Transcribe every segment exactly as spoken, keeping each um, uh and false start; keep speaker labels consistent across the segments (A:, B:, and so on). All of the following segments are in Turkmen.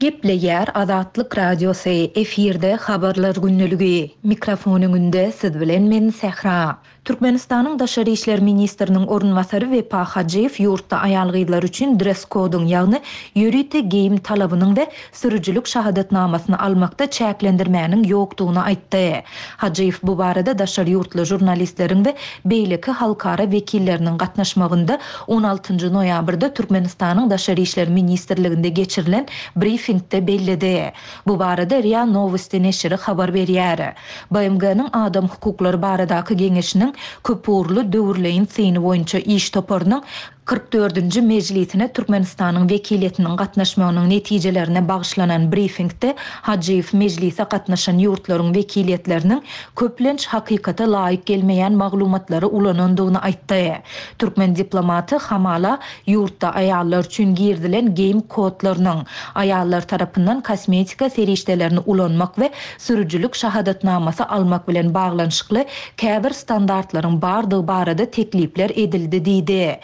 A: Gepleýär Azatlyk Radiosy, efirde Habarlar gündeligi. Mikrofon öňünde siz bilen men Sähra. Türkmenistanyň Daşary işler ministriniň orunbasary Wepa Hajyýew ýurtda aýal-gyzlar üçin dress-koduň, ýagny ýörite geýim talabynyň we sürüjilik şahadatnamasyny almakda çäklendirmäniň ýokdugyny aýtdy. Hajyýew bu barada daşary ýurtly žurnalistleriň we beýleki halkara wekilleriniň gatnaşmagynda on altynjy noýabrda Türkmenistanyň Daşary işler ministrliginde geçirilen brifingde belledi. Bu barada RIA Nowosti neşiri habar berýär. B M G-niň Adam hukuklary baradaky geňeşiniň köpugurly döwürleýin syny boýunça iş toparynyň kyrk dördünji mejlisine Türkmenistanyň wekiliýetiniň gatnaşmagynyň netijelerine bagyşlanan brifingde Hajyýew mejlise gatnaşan ýurtlaryň wekiliýetleriniň köplenç hakykata laýyk gelmeýän maglumatlary ulanandygyny aýtdy. Türkmen diplomaty hamala ýurtda aýallar üçin girizilen geýim kodlarynyň, aýallar tarapyndan kosmetika serişdelerini ulanmak we sürüjilik şahadatnamasy almak bilen baglanyşykly käbir standartlaryň bardygy barada teklipler edildi diýdi.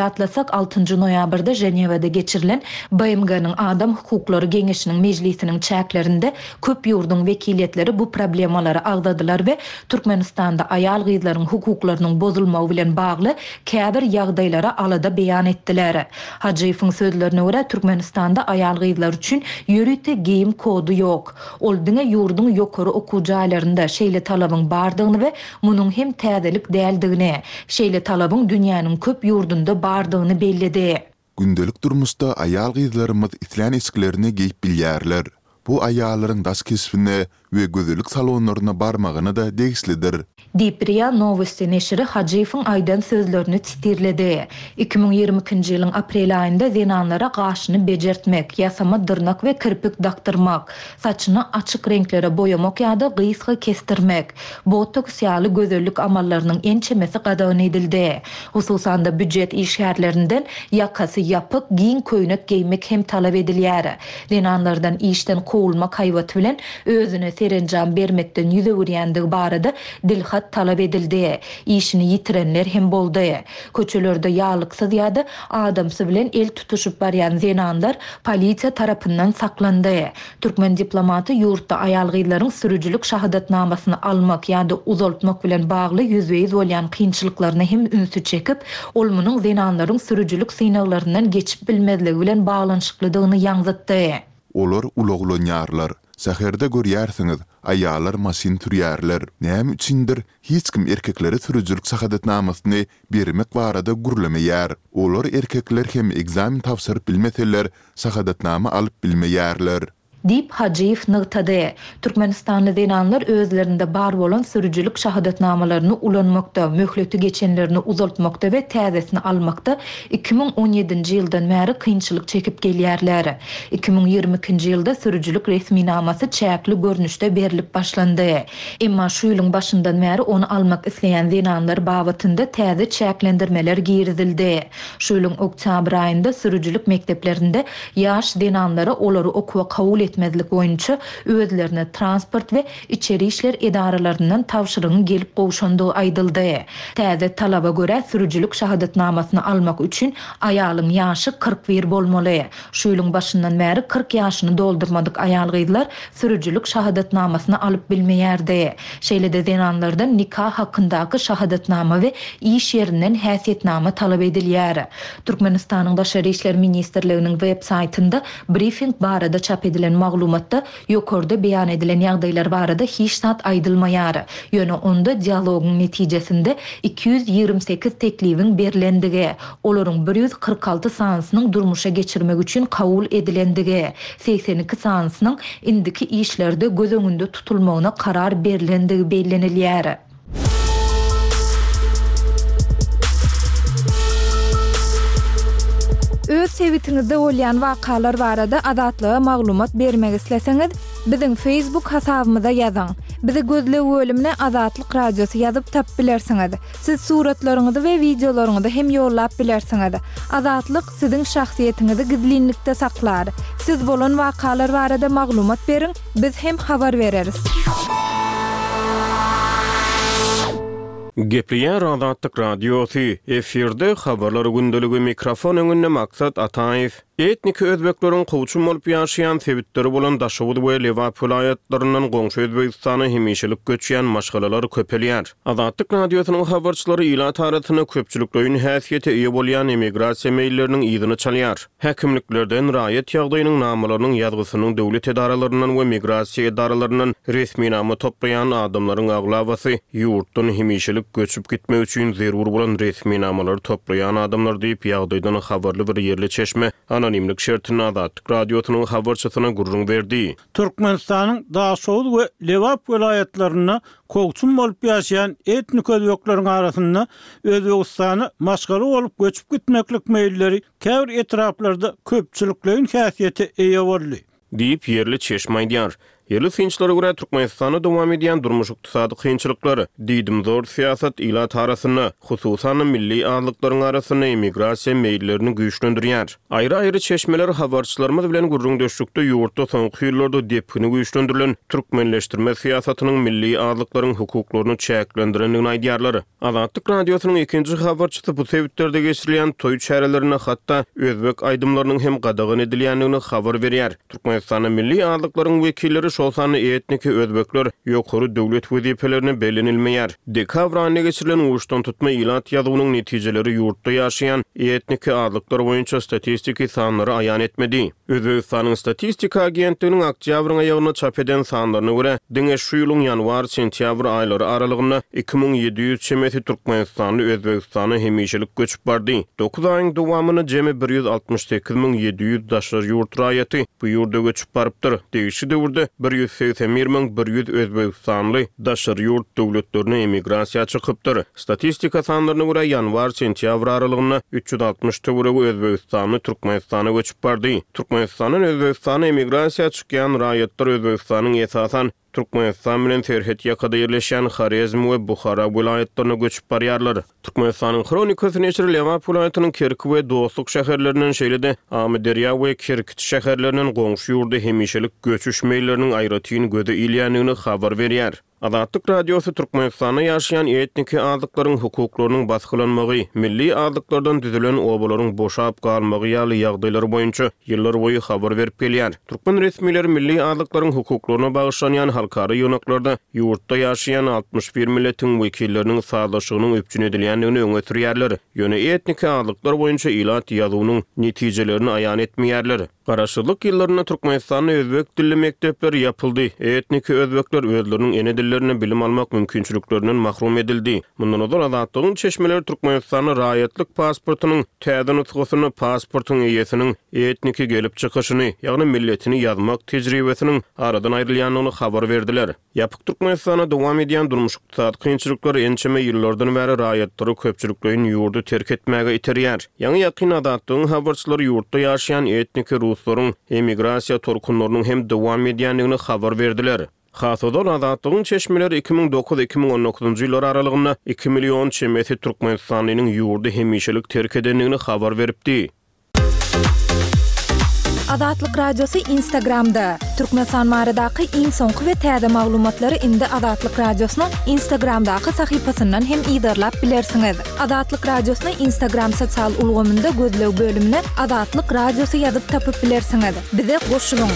A: Ýatlasak, altynjy noýabrda Ženewada geçirilen B M G-niň Adam hukuklary geňeşiniň mejlisiniň çäklerinde köp ýurduň wekiliýetleri bu problemalary agzadylar we Türkmenistanda aýal-gyzlaryň hukuklarynyň bozulmagy bilen bagly käbir ýagdaýlara alada beýan etdiler. Hajyýewiň sözlerine görä, Türkmenistanda aýal-gyzlar üçin ýörite geýim kody ýok. Ol diňe ýurduň ýokary okuw jaýlarynda şeýle talabyň bardygyny we munuň hem täzelik däldigini, şeýle talabyň dünýäniň köp ýurdunda bardygyny belledi.
B: Gündelik durmuşda aýal-gyzlarymyz islän eşiklerini geýip bilýärler. Bu aýallaryň daş keşbine we gözellik salonlaryna barmagyna-da degişlidir.
A: Diýip, RIA Nowosti neşiri Hajyýewiň aýdan sözlerini titirledi. Iki müň ýigrimi ikinji ýylyň aprel aýynda zenanlara gaşyny bejertmek, ýasama dyrnak we kirpik dakdyrmak, saçyny açyk reňklere boýamak ýa-da gysga kesdirmek, botoks ýaly gözellik amallarynyň ençemesi gadagan edildi. Hususan-da býujet işgärlerinden ýakasy ýapyk, giň köýnek geýmek hem talap edilýär. Zenanlardan işden kowulmak haýbaty bilen özüne serenjam bermekden ýüz öwürýändigi barada dilhat talap edildi. Işini ýitirenler hem boldy. Köçelerde ýalyksyz ýa-da adamsy bilen el tutuşyp barýan zenanlar polisiýa tarapyndan saklandy. Türkmen diplomaty ýurtda aýal-gyzlaryň sürüjilik şahadatnamasyny almak ýa-da uzaltmak bilen bagly ýüzbe-ýüz bolýan kynçylyklaryna hem ünsi çekip, ol munuň zenanlaryň sürüjilik synaglaryndan geçip bilmezligi bilen baglanyşyklydygyny ýaňzytdy.
B: Olar ulaglanýarlar. Şäherde görýärsiňiz, aýallar maşyn sürýärler. Näme üçindir hiç kim erkeklere sürüjilik şahadatnamasyny bermek barada gürlemeýär. Olar erkekler hem ekzamen tabşyryp bilmeseler, şahadatnama alyp bilmeýärler.
A: Diýip, Hajyýew nygtady. Türkmenistanly zenanlar özlerinde bar bolan sürüjilik şahadatnamalaryny ulanmakda, möhleti geçenlerini uzaltmakda we täzesini almakda iki müň on ýedinji ýyldan bäri kynçylyk çekip gelýärler. Iki müň ýigrimi ikinji ýylda sürüjilik resminamasy çäkli görnüşde berlip başlandy. Emma şu ýylyň başyndan bäri ony almak isleýän zenanlar babatynda täze çäklendirmeler girizildi. Şu ýylyň oktýabr aýynda sürüjilik mekdeplerinde ýaş zenanlara olary okuwa kabul etmezlik boýunça özlerine transport we içeri işler edaralaryndan tabşyrygyň gelip gowşandygy aýdyldy. Täze talaba görä sürüjilik şahadatnamasyny almak üçin aýalyň ýaşy kyrk bir bolmaly. Şu ýylyň başyndan bäri kyrk ýaşyny doldurmadyk aýal-gyzlar sürüjilik şahadatnamasyny alyp bilmeýärdi. Şeýle-de zenanlardan nikah hakyndaky şahadatnama we iş ýerinden häsiýetnama talap edilýär. Türkmenistanyň Daşary işler ministrliginiň web saýtynda brifing barada çap edilen maglumatda ýokarda beýan edilen ýagdaýlar barada hiç zat aýdylmaýar. Ýöne onda dialogyň netijesinde iki ýüz ýigrimi sekiz teklibiň berlendigi, olaryň bir ýüz kyrk alty sanysynyň durmuşa geçirmek üçin kabul edilendigi, segsen iki sanysynyň indiki işlerde göz öňünde tutulmagyna karar berlendigi bellenilýär.
C: Öz sebitiňizde bolýan wakalar barada Azatlyga maglumat bermek isleseňiz, biziň Facebook hasabymyza ýazyň. Bizi gözleg bölümine Azatlyk Radiosy ýazyp tap bilersiňiz. Siz suratlaryňyzy we videolaryňyzy hem ýollap bilersiňiz. Azatlyk siziň şahsyýetiňizi gizlinlikde saklar. Siz bolan wakalar barada maglumat beriň, biz hem habar bereris.
D: Gepleýär Azatlyk Radiosy, efirde habarlar gündeligi, mikrofon öňünde Maksat Ataýew. Etniki özbekleriň kowçum bolup ýaşaýan sebitleri bolan Daşoguz we Lebap welaýatlaryndan goňşy Özbegistana hemişelik göçýän maşgalalar köpelýär. Azatlyk Radiosynyň habarçylary ilat arasynda köpçülikleýin häsiýete eýe bolýan emigrasiýa meýilleriniň yzyny çalýar. Häkimliklerden raýat ýagdaýynyň namalarynyň ýazgysynyň döwlet edaralaryndan we migrasiýa edaralaryndan resminama toplaýan adamlaryň aglabasy ýurtdan hemişelik göçüp gitmek üçin zerur bolan resminamalary toplaýan adamlar diýip, ýagdaýdan habarly bir ýerli çeşme anonimlik şertinde Azatlyk Radiosynyň habarçysyna gürrüň berdi.
E: Türkmenistanyň Daşoguz we Lebap welaýatlarynda kowçum bolup ýaşaýan etnik özbekleriň arasynda Özbegistana maşgala bolup göçüp gitmeklik meýilleri käbir etraplarda köpçülikleýin häsiýete eýe boldy.
D: Diýip, ýerli çeşme aýdýar. Ýerli synçylara görä, Türkmenistanda dowam edýän durmuş-ykdysady kynçylyklar, diýdimzor syýasat ilat arasynda, hususan-da milli azlyklaryň arasynda emigrasiýa meýillerini güýçlendirýär. Aýry-aýry çeşmeler habarçylarymyz bilen gürrüňdeşlikde ýurtda soňky ýyllarda depgini güýçlendirilen türkmenleşdirme syýasatynyň milli azlyklaryň hukuklaryny çäklendirendigini aýdýarlar. Azatlyk Radiosynyň ikinji habarçysy bu sebitlerde geçirilýän toý çärelerinde hatda özbek aýdymlarynyň hem gadagan edilýändigini habar berýär. Türkmenistanda milli azlyklaryň wekilleri, şol sanda etniki özbekler ýokary döwlet wezipelerine bellenilmeýär. Dekabr aýynda geçirilen uçdantutma ilat ýazuwynyň netijeleri ýurtda ýaşaýan etniki azlyklar boýunça statistiki sanlary aýan etmedi. Özbegistanyň statistika agentliginiň oktýabryň aýagynda çap eden sanlaryna görä, diňe şu ýylyň ýanwar-sentýabr aýlary aralygynda iki müň ýedi ýüz çemesi türkmenistanly Özbegistana hemişelik göçüp bardy. Dokuz aýyň dowamynda jemi bir ýüz altmyş sekiz müň ýedi ýüz daşary ýurt raýaty bu ýurda göçüp barypdyr. Degişli döwürde bir ýüz segsen bir müň bir ýüz özbegistanly daşary ýurt döwletlerine emigrasiýa çykypdyr. Statistika sanlaryna görä, ýanwar-sentýabr aralygynda üç ýüz altmyş töweregi özbegistanly Türkmenistana göçüp bardy. Türkmenistandan Özbegistana emigrasiýa çykýan raýatlar Özbegistanyň esasan Türkmenistan bilen serhet ýakada ýerleşýän Horezm we Buhara welaýatlaryna göçüp barýarlar. Türkmenistanyň Hronikasy neşiri Lebap welaýatynyň Kerki we Dostluk şäherlerinden, şeýle-de Amyderýa we Kerkiç şäherlerinden goňşy ýurda hemişelik göçüş meýilleriniň aýratyn göze ilýändigini habar berýär. Azatlyk Radiosy Türkmenistanda ýaşaýan etniki azlyklaryň hukuklarynyň basgylanmagy, milli azlyklardan düzülen obalaryň boşap galmagy ýaly ýagdaýlar boýunça ýyllarboýy habar berip gelýär. Türkmen resmileri milli azlyklaryň hukuklaryna bagyşlanýan halkara ýygnaklarda ýurtda ýaşaýan altmyş bir milletiň wekilleriniň sazlaşygynyň üpjün edilýändigini öňe sürýärler. Ýöne etniki azlyklar boýunça ilat ýazuwynyň netijelerini aýan etmeýärler. Garaşsyzlyk ýyllarynda Türkmenistanda özbek dilli mekdepler ýapyldy. Etniki özbekler özleriniň ene dillerinde bilim almak mümkinçiliklerinden mahrum edildi. Mundan ozal Azatlygyň çeşmeleri Türkmenistanda raýatlyk pasportynyň täze nusgasyny pasportyň eýesiniň etniki gelip çykyşyny, ýagny milletini ýazmak tejribesiniň aradan aýrylýandygyny habar berdiler. Ýapyk Türkmenistanda dowam edýän durmuş-ykdysady kynçylyklar ençeme ýyllardan bäri raýatlary köpçülikleýin ýurdy terk etmäge iterýär. Ýaňy ýakyn Azatlygyň habarçylary ýurtda ýaşaýan etniki ruslaryň emigrasiýa tolkunlarynyň hem dowam edýändigini habar berdiler. Has ozal Azatlygyň çeşmeleri iki müň dokuz iki müň on dokuzynjy ýyllar aralygynda iki million çemesi türkmenistanlynyň ýurdy hemişelik terk edendigini habar beripdi.
C: Azatlyk Radiosy Instagramda. Türkmenistan baradaky iň soňky we täze maglumatlary indi Azatlyk Radiosynyň Instagramdaky sahypasyndan hem yzarlap bilersiňiz. Azatlyk Radiosyny Instagram sosial ulgamynda gözleg bölümine Azatlyk Radiosy ýazyp tapyp bilersiňiz. Bize goşulyň.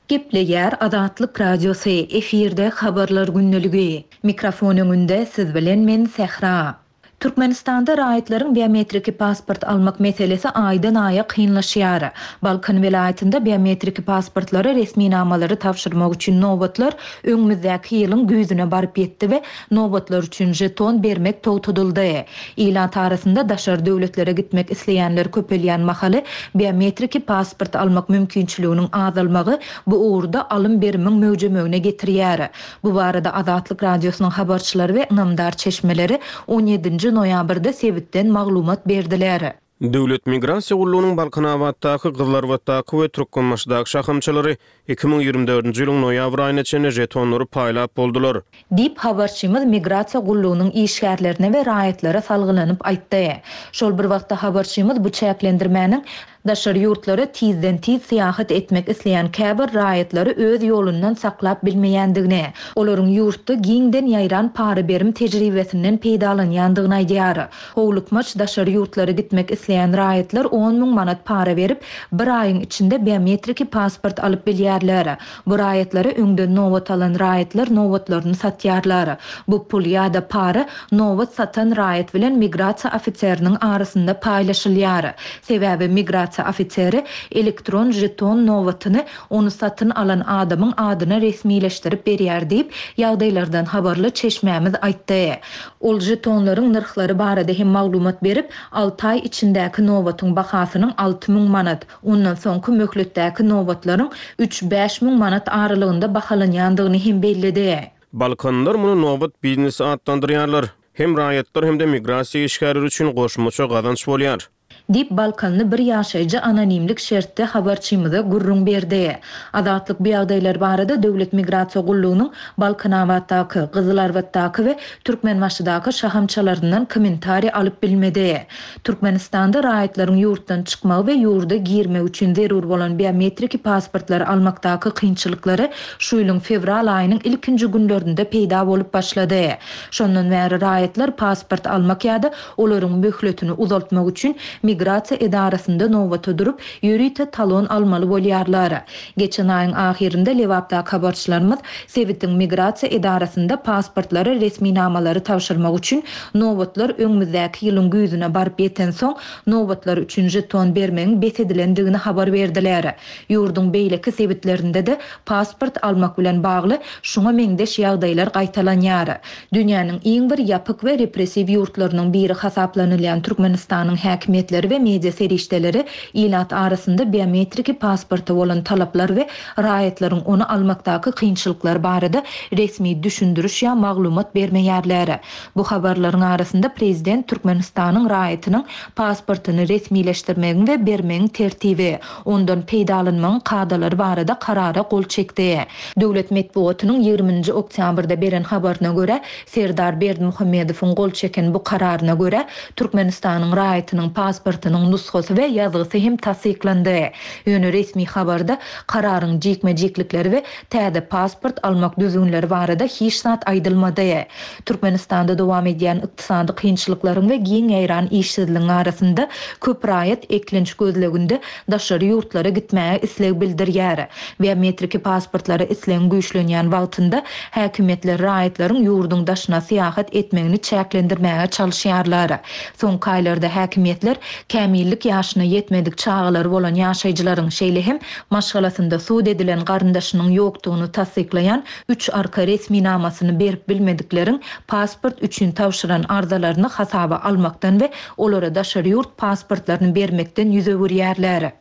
A: Gepleýär Azatlyk Radiosy, efirde habarlar gündeligi. Mikrofon öňünde siz bilen men Sähra. Türkmenistanda raýatlaryň biometriki pasport almak meselesi aýdan aýa kynlaşýar. Balkan welaýatynda biometriki pasportlary resminamalary tabşyrmak üçin nobatlar öňümizdäki ýylyň güýzüne baryp ýetdi we nobatlar üçin jeton bermek togtadyldy. Ilat arasynda daşary döwletlere gitmek isleýänler köpelýän mahaly biometriki pasport almak mümkinçiliginiň azalmagy bu ugurda alym berimiň möwjemegine getirýär. Bu barada Azatlyk Radiosynyň habarçylary we ynamdar çeşmeleri on ýedinji noýabrda sebitden maglumat berdiler.
D: Döwlet migrasiýa gullugynyň Balkanabatdaky, Gyzlarbatdaky we Türkmenbaşydaky şahamçalary iki müň ýigrimi dördünji ýylyň noýabr aýyna çenli žetonlary paýlap boldular.
A: Diýip, habarçymyz migrasiýa gullugynyň işgärlerine we raýatlara salgylanyp aýtdy. Şol bir wagtda habarçymyz bu çäklendirmäniň daşary ýurtlara tizden-tiz syýahat etmek isleýän käbir raýatlary öz ýolundan saklap bilmeýändigini, olaryň ýurtda giňden ýaýran para-berim tejribesinden peýdalanýandygyny aýdýar. Howlukmaç daşary ýurtlara gitmek isleýän raýatlar on müň manat para berip, bir aýyň içinde biometriki pasport alyp bilýärler. Bu raýatlara öňden nobat alan raýatlar nobatlaryny satýarlar. Bu pul ýa-da para nobat satan raýat bilen migrasiýa ofiseriniň arasynda paýlaşylýar. Sebäbi migrasiýa ofiseri elektron žeton nobatyny ony satyn alan adamyň adyna resmileşdirip berýär diýip, ýagdaýlardan habarly çeşmämiz aýtdy. Ol žetonlaryň nyrhlary barada hem maglumat berip, alty aý içindäki nobatyň bahasynyň alty müň manat, ondan soňky möhletdäki nobatlaryň üç-bäş müň manat aralygynda bahalanýandygyny hem belledi.
D: Balkanlar muny nobat biznesi atlandyrýarlar. Hem raýatlar hem-de migrasiýa işgärleri üçin goşmaça gazanç bolýar.
A: Diýip, Balkanly bir ýaşaýjy anonimlik şertde habarçymyza gürrüň berdi. Azatlyk bu ýagdaýlar barada Döwlet migrasiýa gullugynyň Balkanabatdaky, Gyzylarbatdaky we Türkmenbaşydaky şahamçalaryndan kommentariý alyp bilmedi. Türkmenistanda raýatlaryň ýurtdan çykmagy we ýurda girmek üçin zerur bolan biometriki pasportlary almakdaky kynçylyklary şu ýylyň fewral aýynyň ilkinji günlerinde peýda bolup başlady. Şondan bäri raýatlar pasport almak ýa-da olaryň möhletini uzaltmak üçin migrasiýa edarasynda nobata durup, ýörite talon almaly bolýarlar. Geçen aýyň ahyrynda Lebapdaky habarçylarymyz sebitiň migrasiýa edarasynda pasportlary resminamalary tabşyrmak üçin nobatlar öňümizdäki ýylyň güýzüne baryp ýetensoň, nobatlar üçin žeton bermegiň bes edilendigini habar berdiler. Ýurduň beýleki sebitlerinde-de pasport almak bilen bagly şuňa meňzeş ýagdaýlar gaýtalanýar. Dünýäniň iň bir ýapyk we repressiw ýurtlarynyň biri hasaplanylýan Türkmenistanyň häkimiýetleri we media serişdeleri ilat arasynda biometriki pasporta bolan talaplar we raýatlaryň ony almakdaky kynçylyklar barada resmi düşündiriş ýa maglumat bermeýärler. Bu habarlaryň arasynda prezident Türkmenistanyň raýatynyň pasportyny resmileşdirmegiň we bermegiň tertibi, ondan peýdalanmagyň kadalary barada karara gol çekdi. Döwlet metbugatynyň ýigriminji oktýabrda beren habaryna görä, Serdar Berdimuhamedowyň gol çeken bu kararyna görä, Türkmenistanyň raýatynyň pasportynyň nusgasy we ýazgysy hem tassyklandy. Ýöne resmi habarda kararyň jikme-jiklikleri we täze pasport almak düzgünleri barada hiç zat aýdylmady. Türkmenistanda dowam edýän ykdysady kynçylyklaryň we giň ýaýran işsizligiň arasynda köp raýat eklenç gözleginde daşary ýurtlara gitmäge isleg bildirýär. Biometriki pasportlara islegiň güýçlenýän wagtynda häkimiýetler raýatlaryň ýurduň daşyna syýahat etmegini çäklendirmäge çalyşýarlar. Soňky aýlarda häkimiýetler kämillik ýaşyna ýetmedik çagalary bolan ýaşaýjylaryň, şeýle hem maşgalasynda sud edilen garyndaşynyň ýokdugyny tassyklaýan üç arka resminamasyny berip bilmedikleriň pasport üçin tabşyran arzalaryny hasaba almakdan we olara daşary ýurt pasportlaryny bermekden ýüz öwürýärler.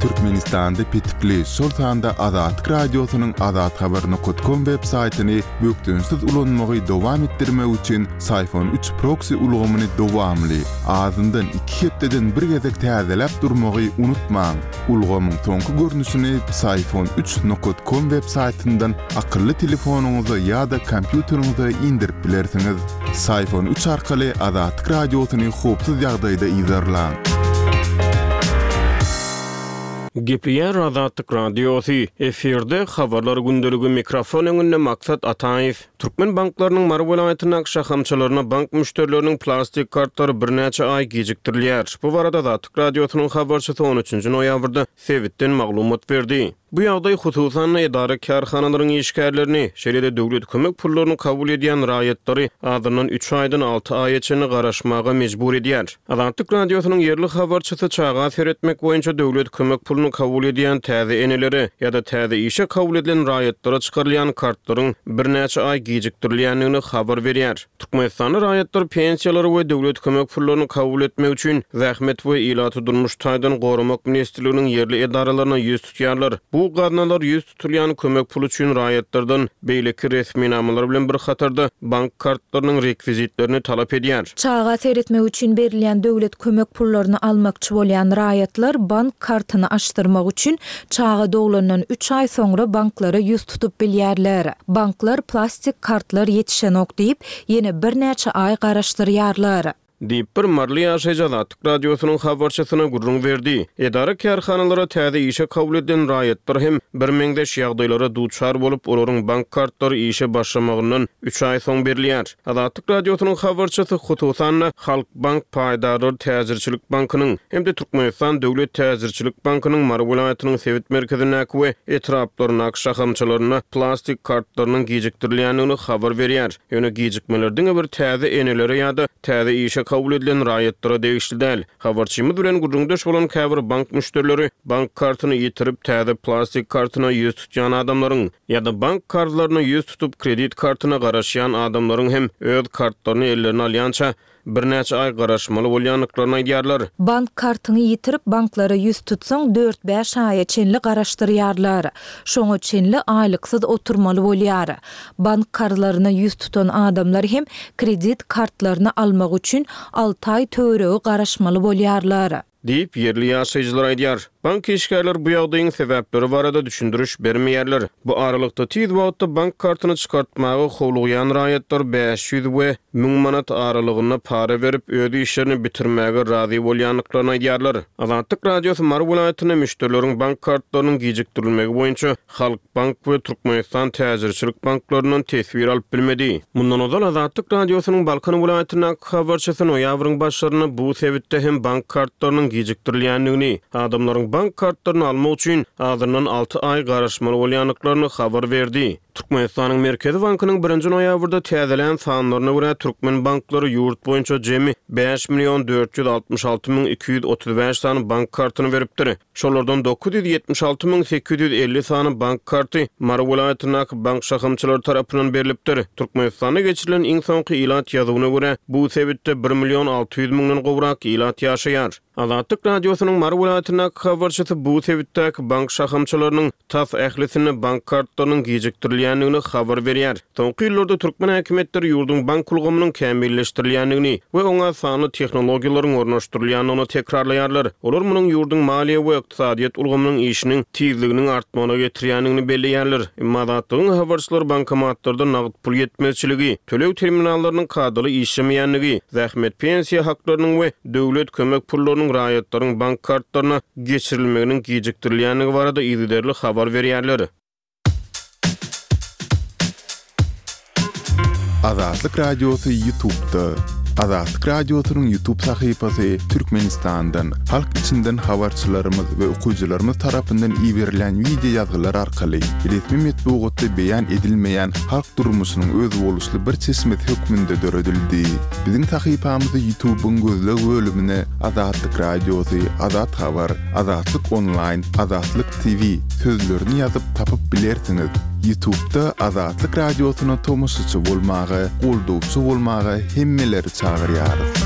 B: Türkmenistanda petikli, şol sanda Azatlyk Radiosynyň azathabar nokta com web saýtyny bökdençsiz ulanmagy dowam etdirmek üçin Syfon üç proxy ulgamyny dowamly, azyndan iki hepdeden bir gezek täzeläp durmagy unutmaň. Ulgamyň soňky görnüşini Syfon üç nokta com web saýtyndan akylly telefonyňyza ýa-da kompýuteriňize indirip bilersiňiz. Syfon üç arkaly Azatlyk Radiosyny howpsuz ýagdaýda yzarlaň.
D: Gepleýär Azatlyk Radiosy. Efirde habarlar gündeligi, mikrofon öňünde Maksat Ataýew. Türkmen banklarynyň Mary welaýatyndaky şahamçalaryna bank müşderileriniň plastik kartlary birnäçe aý gijikdirilýär. Bu barada Azatlyk Radiosynyň habarçysy on üçünji noýabrda sebitden maglumat berdi. Bu ýagdaý hususan edara kärhanalaryň işgärlerini, şeýle-de döwlet kömek pullaryny kabul edýän raýatlary azyndan üç aýdan alty aýa çenli garaşmaga mejbur edýär. Azatlyk Radiosynyň ýerli habarçysy çaga seretmek boýunça döwlet kömek puluny kabul edýän täze enelere ýa-da täze işe kabul edilen raýatlara çykarylýan kartlaryň birnäçe aý gijikdirilýändigini habar berýär. Türkmenistanda raýatlar pensiýalary we döwlet kömek pullaryny kabul etmek üçin Zähmet we ilaty durmuş taýdan goramak ministrliginiň ýerli edaralaryna ýüz tutýarlar. Bu gaznalar ýüz tutulýan kömek puly üçin raýatlardan beýleki resminamalar bilen bir hatarda bank kartlarynyň rekwizitlerini talap edýär.
A: Çaga seretmek üçin berilýän döwlet kömek pullaryny almakçy bolýan raýatlar bank kartyny açdyrmak üçin çaga doglandan üç aý soňra banklara ýüz tutup bilýärler. Banklar plastik kartlar ýetişenok diýip, ýene birnäçe aý garaşdyrýarlar.
D: Diýip, bir maryly ýaşaýjy Azatlyk Radiosynyň habarçysyna gürrüň berdi. Edara-kärhanalara täze işe kabul edilen raýatlar hem birmeňzeş ýagdaýlara duçar bolup, olaryň bank kartlary işe başlamagyndan üç aý soň berilýär. Azatlyk Radiosynyň habarçysy, hususan-da, Halkbank paýdarlar täjirçilik bankynyň hem-de Türkmenistan döwlet täjirçilik bankynyň Mary welaýatynyň sebit merkezindäki we etraplaryndaky şahamçalarynda plastik kartlarynyň gijikdirilýändigini habar berýär. Ýöne gijikmeler diňe bir täze enelere ýa-da täze işe kabul edilen raýatlara degişli däl. Habarçymyz bilen gürrüňdeş bolan käbir bank müşderileri bank kartyny ýitirip, täze plastik kartyna ýüz tutýan adamlaryň ýa-da bank karzlaryna ýüz tutup, kredit kartyna garaşýan adamlaryň hem öz kartlaryny ellerine alýança birnäçe aý garaşmaly bolýandyklaryny aýdýarlar.
A: Bank kartyňy ýitirip, banklara ýüz tutsaň, dört-bäş aýa çenli garaşdyrýarlar. Şoňa çenli aýlyksyz oturmaly bolýar. Bank karzlaryna ýüz tutan adamlar hem kredit kartlaryny almak üçin alty aý töweregi garaşmaly bolýarlar.
D: Diýip, ýerli ýaşaýjylar aýdýar. Bank işgärleri bu ýagdaýyň sebäpleri barada düşündiriş bermeýärler. Bu aralykda tiz wagtda bank kartyny çykartmaga howlugýan raýatlar bäş ýüz we müň manat aralygynda para berip, öz işlerini bitirmäge razy bolýandyklaryny aýdýarlar. Azatlyk Radiosy Mary welaýatynda müşderileriň bank kartlarynyň gijikdirilmegi boýunça Halkbank we Türkmenistan täjirçilik banklaryndan teswir alyp bilmedi. Mundan ozal Azatlyk Radiosynyň Balkan welaýatyndaky habarçysy noýabryň başlarynda bu sebitde hem bank kartlarynyň gijikdirilýändigini, adamlaryň bank kartlaryny almak üçin azyndan alty aý garaşmaly bolýandyklaryny habar berdi. Türkmenistanyň Merkezi bankynyň birinji noýabrda täzelän sanlaryna görä, türkmen banklary ýurt boýunça jemi bäş million dört ýüz altmyş alty müň iki ýüz otuz bäş sany bank kartyny beripdir. Şolardan dokuz ýüz ýetmiş alty müň sekiz ýüz elli sany bank karty Mary welaýatyndaky bank şahamçalary tarapyndan berlipdir. Türkmenistanda geçirilen iň soňky ilat ýazuwyna görä, bu sebitde bir million alty ýüz müňden gowrak ilat ýaşaýar. Azatlyk Radiosynyň Mary welaýatyndaky habarçysy bu sebitdäki bank şahamçalarynyň tas ählisinde bank kartlarynyň gijikdirilýändigini habar berýär. Soňky ýyllarda türkmen häkimiýetleri ýurduň bank ulgamynyň kämilleşdirilýändigini we oňa sanly tehnologiýalaryň ornaşdyrylýandygyny tekrarlaýarlar. Olar munuň ýurduň maliýe we ykdysadyýet ulgamynyň işiniň tizliginiň artmagyna getirýändigini belleýärler. Emma Azatlygyň habarçylary bankomatlarda nagt pul ýetmezçiligi, töleg terminallarynyň kadaly işlemeýändigi, zähmet pensiýa haklarynyň we döwlet kömek pullarynyň raýatlaryň bank kartlaryna geçirilmeginiň gijikdirilýändigi barada yzygiderli habar berýärler.
B: Azatlyk Radiosy YouTube'da. Azatlyk Radiosynyň YouTube sahypasy Türkmenistandan, halk içinden habarçylarymyz we okyjylarymyz tarapyndan iberilen wideo ýazgylar arkaly resmi metbugatda beýan edilmeýän halk durmuşynyň özboluşly bir çeşmesi hökmünde döredildi. Biziň sahypamyzy YouTube'yň gözleg bölümine Azatlyk Radiosy, Azat Habar, Azatlyk Online, Azatlyk T V sözlerini ýazyp tapyp bilersiňiz. YouTube'da Azatlyk Radiosyna tomaşaçy bolmaga, goldawçy bolmaga hemmeleri çagyrýarys.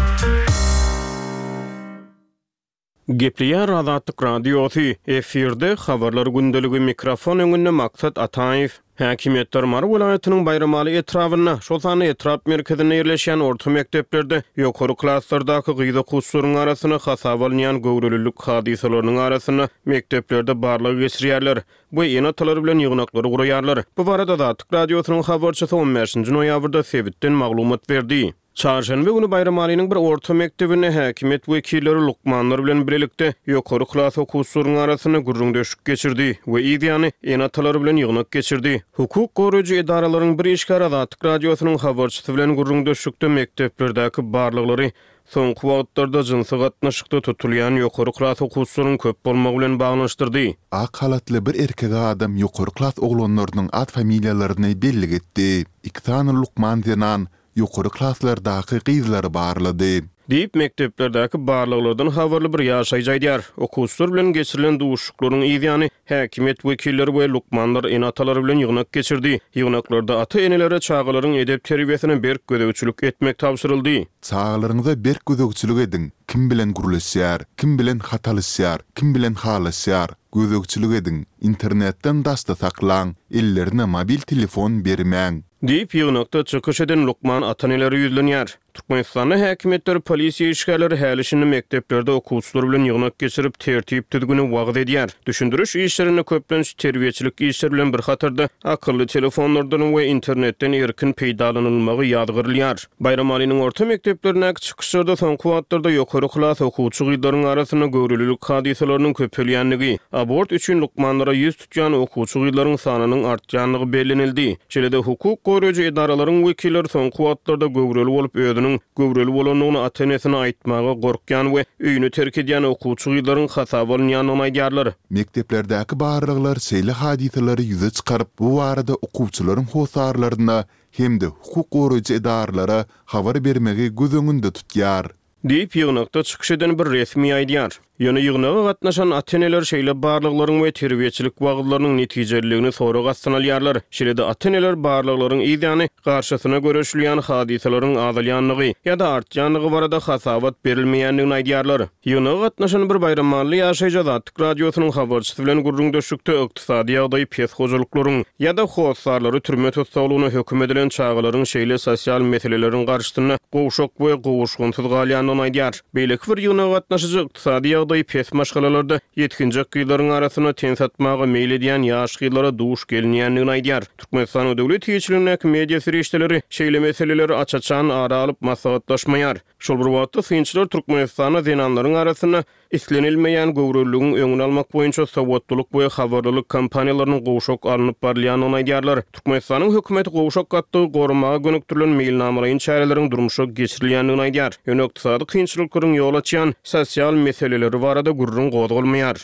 D: Gepleýär Azatlyk Radiosy, efirde habarlar gündeligi, mikrofon öňünde Maksat Ataýew. Häkimiýetler Mary welaýatynyň Baýramaly etrabynda, şol sanda etrap merkezinde ýerleşýän orta mekdeplerde ýokary klaslardaky gyz okuwçylaryň arasynda hasaba alynýan göwrelilik hadysalarynyň arasynda mekdeplerde barlag geçirýärler we ene-atalar bilen ýygnaklary guraýarlar. Bu barada Azatlyk Radiosynyň habarçysy on bäşinji noýabrda sebitden maglumat berdi. Çarşenbe günü Baýramalynyň bir orta mekdebinde häkimiýet wekilleri lukmanlar bilen birlikde ýokary klas okuwçylaryň arasynda gürrüňdeşlik geçirdi we ýany ene-atalar bilen ýygnak geçirdi. Hukuk goraýjy edaralaryň bir işgäri Azatlyk Radiosynyň habarçysy bilen gürrüňdeşlikde mekdeplerdäki barlaglary soňky wagtlarda jynsy gatnaşykda tutulýan ýokary klas okuwçylaryň köp bolmagy bilen baglanyşdyrdy.
B: Ak halatly bir erkek adam ýokary klas oglanlarynyň ad familiýalaryny bellik etdi. Iki sany lukman zenan ýokary klaslardaky gyzlary barlady.
D: Diýip, mekdeplerdäki barlaglardan habarly bir ýaşaýjy aýdýar. Okuwçylar bilen geçirilen duşuşyklaryň yz ýany, häkimiýet wekilleri we lukmanlar ene-atalar bilen ýygnak geçirdi. Ýygnaklarda ata-enelere çagalaryň edep-terbiýesine berk gözegçilik etmek tabşyryldy.
B: Çagalaryňyza berk gözegçilik ediň, kim bilen gürleşýär, kim bilen hat alyşýar, kim bilen halaşýar, gözegçilik ediň, internetden daşda saklaň, ellerine mobil telefon bermäň.
D: Diýip, ýygnakda çykyş eden lukman ata-enelere ýüzlenýär. Türkmenistanda häkimiýetler, polisiýa işgärleri häli-şindi mekdeplerde okuwçylar bilen ýygnak geçirip, tertip-düzgüni wagyz edýär. Düşündiriş işlerinde köplenç terbiýeçilik işleri bilen bir hatarda akylly telefonlardan we internetden erkin peýdalanylmagy ýazgarylýar. Baýramalynyň orta mekdeplerindäki çykyşlarda soňky wagtlarda ýokary klas okuwçy gyzlaryň arasynda göwrelilik hadysalarynyň köpelýändigi, abort üçin lukmanlara ýüz tutýan okuwçy gyzlaryň sanynyň artýandygy bellenildi. Şeýle-de hukuk goraýjy edaralaryň wekilleri soňky wagtlarda göwreli bolup özüniň göwreli bolandygyny ata-enesine aýtmaga gorkýan we öýüni terk edýän okuwçy gyzlaryň hasaba alynýandygyny aýdýarlar.
B: Mekdeplerdäki barlaglar şeýle hadysalary ýüze çykaryp, bu barada okuwçylaryň hossarlaryna hem-de hukuk goraýjy edaralara habar bermegi göz öňünde tutýar.
D: Diýip, ýygnakda çykyş eden bir resmi aýdýar. Ýöne ýygnaga gatnaşan ata-eneler şeýle barlaglaryň we terbiýeçilik wagyzlarynyň netijeliligini sorag astyna alýarlar. Şeýle-de ata-eneler barlaglaryň yz ýany garşysyna göreşilýän hadysalaryň azalýandygy ýa-da artýandygy barada hasabat berilmeýändigini aýdýarlar. Ýygnaga gatnaşan bir baýramally ýaşaýjy Azatlyk Radiosynyň habarçysy bilen gürrüňdeşlikde ykdysady ýagdaýy pes hojalyklaryň ýa-da hossarlary türme tussaglygyna höküm edilen çagalaryň şeýle sosial meseleleriň garşysynda gowşak we gowuşgynsyz galýandygyny aýdýar. Beýleki bir ýygnaga gatnaşyjy ykdysady ýagdaýy pes maşgalalarda ýetginjek gyzlaryň arasynda ten satmaga meýil edýän ýaş gyzlara duş gelinýändigini aýdýar. Türkmenistanyň döwlet eýeçiligindäki media serişdeleri şeýle meseleleri aç-açan ara alyp maslahatlaşmaýar. Şol bir wagtda, synçylar Türkmenistanda zenanlaryň arasynda islenilmeýän göwreliligiň öňüni almak boýunça sowatlylyk we habarlylyk kampaniýalarynyň gowşak alnyp barylýandygyny aýdýarlar. Türkmenistanyň hökümeti gowşak gatlagy goramaga gönükdirilen meýilnamalaýyn çäreleriň durmuşa geçirilýändigini aýdýar. Ýöne ykdysady kynçylyklaryň ýol açýan sosial meseleleri barada gürrüň gozgalmaýar.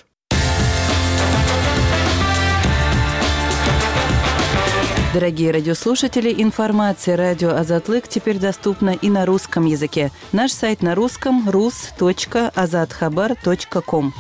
F: Дорогие радиослушатели, информация радио Азатлык теперь доступна и на русском языке. Наш сайт на русском rus.azathabar.com.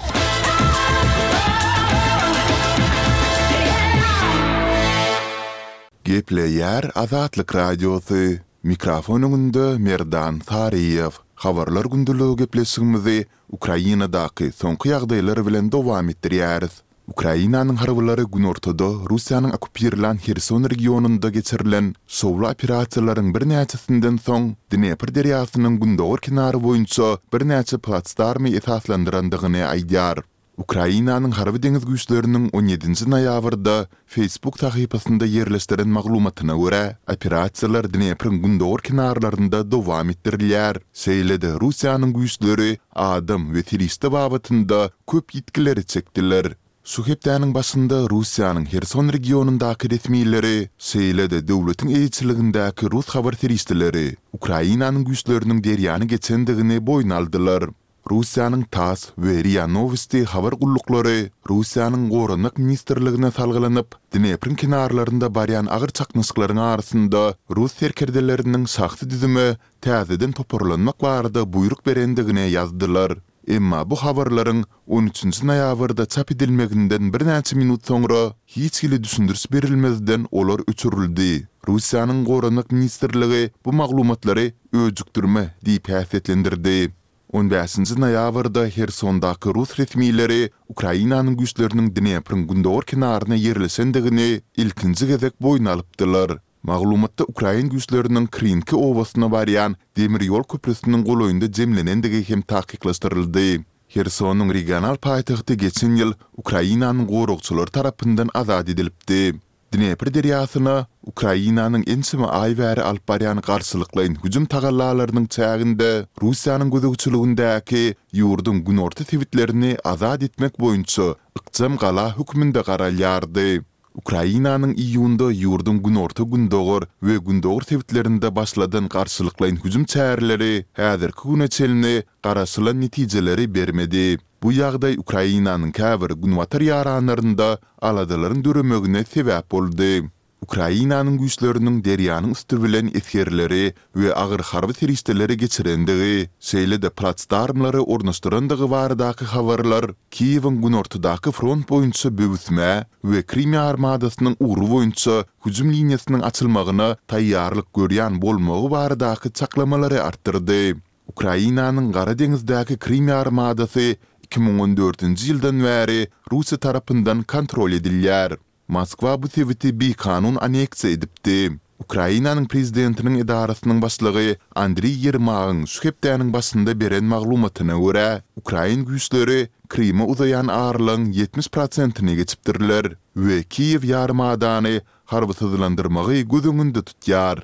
B: Gepleýär Azatlyk Radiosy, mikrofon öňünde Merdan Saryýew. Habarlar gündeligi gepleşigimizi Ukrainadaky soňky ýagdaýlar bilen dowam etdirýäris. Ukrainanyň harbylary günortada Russiýanyň okkupirlän Herson regionynda geçirilen şowly operasiýalaryň birnäçesinden soň Dnepr derýasynyň gündogar kenary boýunça birnäçe platsdarmy esaslandyrandygyny aýdýar. Ukrainanyň harby deňiz güýçleriniň on ýedinji noýabrda Facebook sahypasynda ýerleşdiren maglumatyna görä, operasiýalar Dnepriň gündogar kenarlarynda dowam etdirilýär, şeýle-de Russiýanyň güýçleri adam we serişde babatynda köp ýitgileri çekdiler. Şu hepdäniň başynda Russiýanyň Herson regionyndaky resmileri, şeýle-de döwletiň eýeçiligindäki rus habar serişdeleri Ukrainanyň güýçleriniň derýany geçendigini boýun aldylar. Russiýanyň TASS we RIA Nowosti habar gulluklary Russiýanyň Goranmak ministrligine salgylanyp, Dnepriň kenarlarynda barýan agyr çaknyşyklaryň arasynda rus serkerdeleriniň şahsy düzüme täzeden toparlanmak barada buýruk berendigini ýazdylar. Emma bu habarlaryň on üçünji noýabrda çap edilmeginden birnäçe minut soňra hiç hili düşündiriş berilmezden olar öçürildi. Russiýanyň Goranmak ministrligi bu maglumatlary öjükdirme diýip häsiýetlendirdi. On bäşinji noýabrda Hersondaky rus resmileri Ukrainanyň güýçleriniň Dnepriň gündogar kenaryna ýerleşendigini ilkinji gezek boýun alypdylar. Maglumatda ukrain güýçleriniň Krinki obasyna barýan demir ýol köprüsiniň golaýynda jemlenendigi hem takyklaşdyryldy. Hersonyň regional paýtagty geçen ýyl Ukrainanyň goragçylary tarapyndan azat edilipdi. Dnepr derýasyna Ukrainanyň ençeme aý bäri alyp barýan garşylyklaýyn hüjüm tagallalarynyň çäginde Russiýanyň gözegçiligindäki ýurduň günorta sebitlerini azat etmek boýunça ykjam gala hökmünde garalýardy. Ukrainanyň iýunda ýurduň günorta-gündogar we gündogar sebitlerinde başladan garşylyklaýyn hüjüm çäreleri häzirki güne çenli garaşylan netijeleri bermedi. Bu ýagdaý Ukrainanyň käbir günbatar ýaranlarynda aladalaryň döremegine sebäp boldy. Ukrainanyň güýçleriniň derýanyň üsti bilen esgerleri we agyr harby serişdeleri geçirendigi, şeýle-de platsdarmlary ornaşdyrandygy baradaky habarlar Kiýewiň günortadaky front boýunça böwüsmä we Krym ýarymadasynyň ugry boýunça hüjüm liniýasynyň açylmagyna taýýarlyk görýän bolmagy baradaky çaklamalary artdyrdy. Ukrainanyň Gara deňizdäki Krym ýarymadasy iki müň on dördünji ýyldan bäri Russiýa tarapyndan kontrol edilýär. Moskwa bu sebiti bikanun anneksiýa edipdi. Ukrainanyň prezidentiniň edarasynyň başlygy Andriý Ýermagyň şu hepdäniň başynda beren maglumatyna görä, ukrain güýçleri Kryma uzaýan aralygyň ýetmiş prosentini geçipdirler we Kiýew ýarymadany harbysyzlandyrmagy göz öňünde tutýar.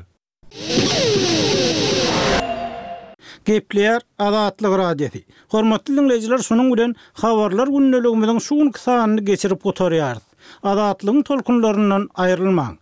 E: Gepleýär Azatlyk Radiosy. Hormatly diňleýjiler, şunuň bilen Habarlar gündeligimiziň şu günki sanyny geçirip gutarýarys. Azatlygyň tolkunlaryndan aýrylmaň!